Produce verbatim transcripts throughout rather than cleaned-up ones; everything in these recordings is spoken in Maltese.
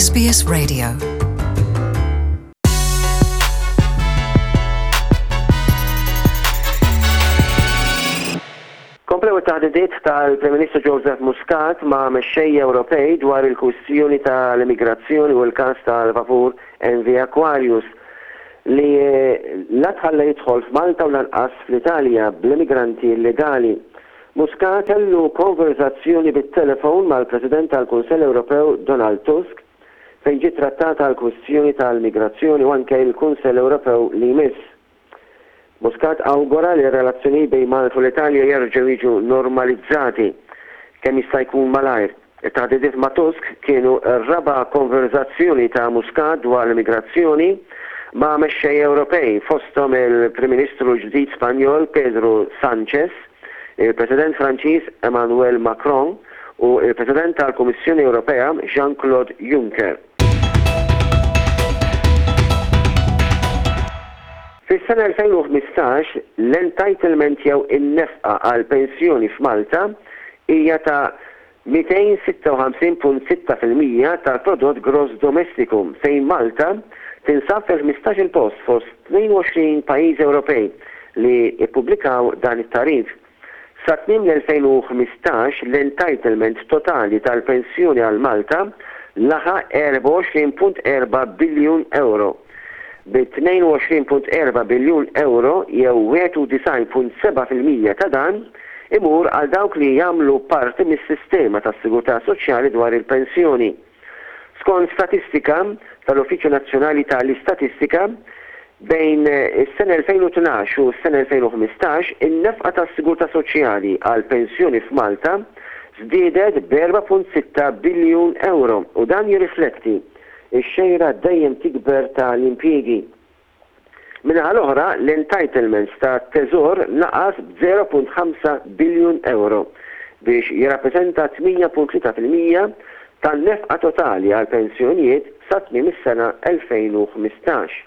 S B S Radio. Komplew it-taħdidiet tal-Prim Ministru Joseph Muscat ma' mexxejja Ewropej dwar il-kwistjoni tal-immigrazzjoni u l-każ tal-vapur M V Aquarius li la tħalla jidħol f'Malta u lanqas fl-Italja bl-immigranti illegali. Muscat kellu konverzazzjoni bit-telefon mal-President tal-Kunsell Ewropew Donald Tusk, fejn ġiet trattata l-kwistjoni tal-migrazzjoni u anke il-Kunsell Ewropew li jmiss. Muscat awgura li r-relazzjoni bejn Malta u l-Italja jerġgħu jiġu normalizzati kemm jista' jkun malajr. It-taħdidiet ma' Tusk kienu r-raba' konverzazzjoni ta' Muscat dwar l-immigrazzjoni ma' mexxej Ewropej, fosthom il-Prim Ministru ġdid Spanjol Pedro Sanchez, il-President Franċiż Emmanuel Macron u il-President tal-Kummissjoni Ewropea Jean-Claude Juncker. Fis-sena elfejn u ħmistax, l-entitlement jew in-nefqa għal pensjoni f'Malta hija ta' mitejn u sitta u ħamsin punt sitta fil-mija tal-prodott gross domestiku, fejn Malta tinsab fil-ħmistax-il post fost tnejn u għoxrin pajjiż Ewropej li ippubblikaw dan it-tagħrif. Sa tmiem l-elfejn u ħmistax, l-entitlement totali tal-pensjoni għal Malta laħaq erbgħa u għoxrin punt erba' biljun euro, bi tnejn u għoxrin punt erba' biljun euro jew wieħed u disgħin punt sebgħa fil-mija ta' dan imur għal dawk li jagħmlu parti mis-sistema tas-sigurtà soċjali dwar il-pensjoni. Skont statistika tal-Uffiċċju Nazzjonali tal-Istatistika, bejn is-sena elfejn u tnax u s-sena elfejn u ħmistax, in-nefqa tas-sigurtà soċjali għal pensjoni f'Malta żdiedet b'erbgħa punt sitta biljun euro u dan jirrifletti x-xejra dejjem tikber tal-impjiegi. Min-naħa l-oħra, l-entitlements ta' teżor naqas b'żero punt ħamsa biljun euro biex jirrappreżenta tmienja punt tlieta fil-mija tan-nefqa totali għal pensjonijiet sa tmiem is-sena elfejn u ħmistax.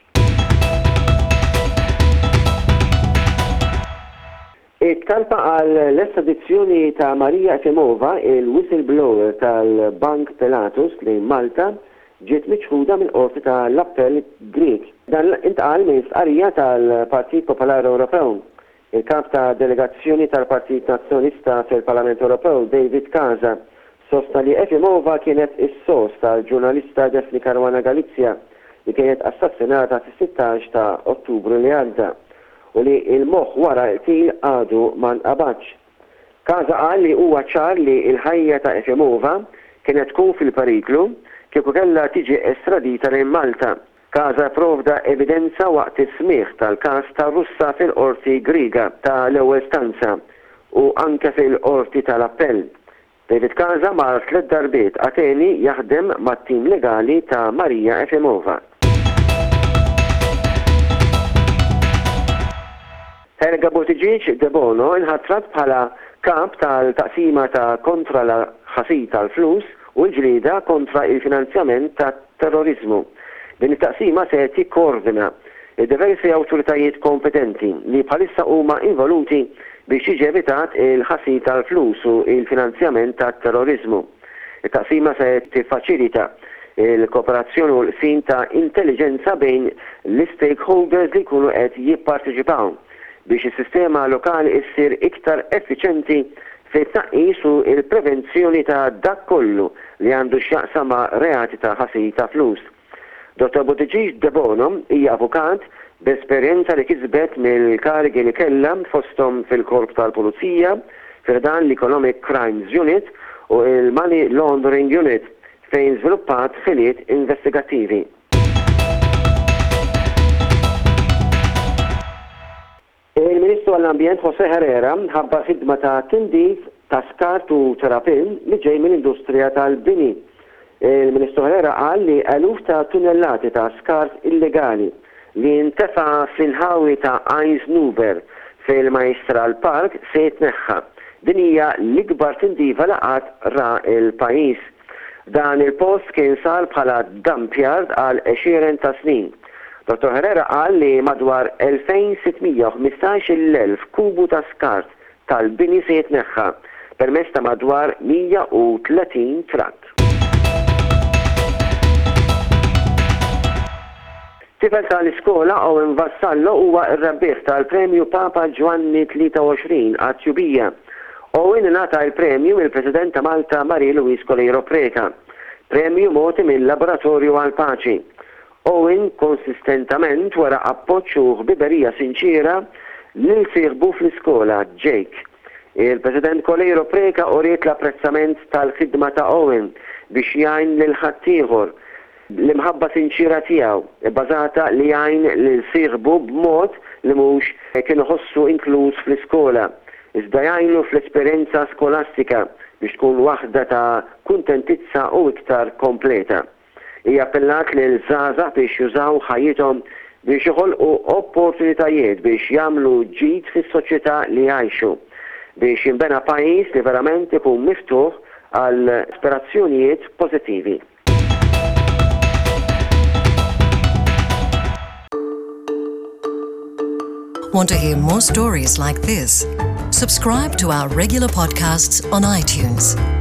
It-talba għal l-estradizzjoni ta' Maria Efimova, il-whistleblower tal-Bank Pilatus, lejn Malta ġiet miċħuda mill-qorti tal-Appell Grieg. Dan intqal minn stqarrija tal-Partit Popolari Ewropew. Il-kap ta' delegazzjoni tal-Partit Nazzjonalista fil-Parlament Ewropew, David Casa, sostna li Efimova kienet is-sors tal-ġurnalista Daphne Caruana Galizia, li kienet assassinata fis-sittax ta' Ottubru li għadda u li il-moħ wara l-qtil għadu ma nqabadx. Casa qal li huwa ċar li il-ħajja ta' Efimova kienet tkun fil-periklu kieku kellha tiġi estradita lejn Malta. Casa provda evidenza waqt is-smigħ tal-każ ta' Russa fil-qorti Griega ta' l-ewwel istanza u anke fil-qorti tal-appell. David Casa mar tliet darbiet Ateni jaħdem mat-tim legali ta' Maria Efimova. Helga Buttigieg Debono inħatrat bħala kap tal-taqsima ta' kontra l-ħasil tal-flus u l-ġlieda kontra il-finanzjament ta' terrorizmu. Din it-taqsima se tikkoordina diversi awtoritajiet kompetenti li bħalissa huma involuti biex jiġi evitat il-ħasil tal-flus u il-finanzjament ta' terrorizmu. Il-taqsima se tiffaċilita il-kooperazzjoni u l-qsim ta' intelligenza bejn l-stakeholders li jkunu qed jipparteċipaw biex is-sistema lokali issir iktar effiċenti fit-tnaqqis u il-prevenzjoni ta' dak kollu li għandu x'jaqsam ma' reati ta' ħasil ta' flus. Dottor Buttigieg Debono hija avukat b'esperjenza li kisbet mill-karigi li kellha, fosthom fil-Korp tal-Pulizija, fi ħdan l-Economic Crimes Unit u il-Money Laundering Unit, fejn żviluppat ħiliet investigattivi. Il-Ministru għall-Ambjent Jose Herrera ħabbar ħidma ta' tindif ta' skart u terrapien li ġej mill-industrija tal-bini. Il-Ministru Herrera qal li eluf ta' tunnellati ta' skart illegali li intefa fl-inħawi ta' Għajn Żnuber fil-Majstral Park se jitneħħa. Din hija l-ikbar tindifa li qatt ra il-pajjiż. Dan il-post kien sar bħala dump yard għal għexieren ta' snin. Dottor Herrera qal li madwar elfejn u sitt mija u ħmistax-il elf kubu ta' skart tal-bini se jitneħħa permezz ta' madwar mija u tletin trakk. Tifel tal-iskola Owen Vassallo huwa r-rebbieħ tal-Premju Papa Ġwanni tlieta u għoxrin għat-tjubija. Owen ingħata il-premju mill-President ta' Malta, Marie Louise Coleiro Preca. Premju mogħti mill-Laboratorju għal-Paċi. Owen konsistentament wera appoġġ u ħbiberija sinċira lil sieħbu fl-iskola, Jake. Il-President Coleiro Preca uriet l-apprezzament tal-ħidma ta' Owen biex jgħin lil ħaddieħor, l-imħabba sinċira tiegħu bbażata li jgħin lil sieħbu b'mod li mhux kien iħossu inkluż fl-iskola, iżda jgħinu fl-esperjenza skolastika biex tkun waħda ta' kuntentizza u iktar kompleta. Hija appellat lil żgħażagħ biex jużaw ħajjithom biex joħolqu opportunitajiet biex jagħmlu ġid fis-soċjetà li jgħixu, biex jinbena pajjiż li verament ikun miftuħ għal aspirazzjonijiet pożittivi. Want to hear more stories like this? Subscribe to our regular podcasts on iTunes.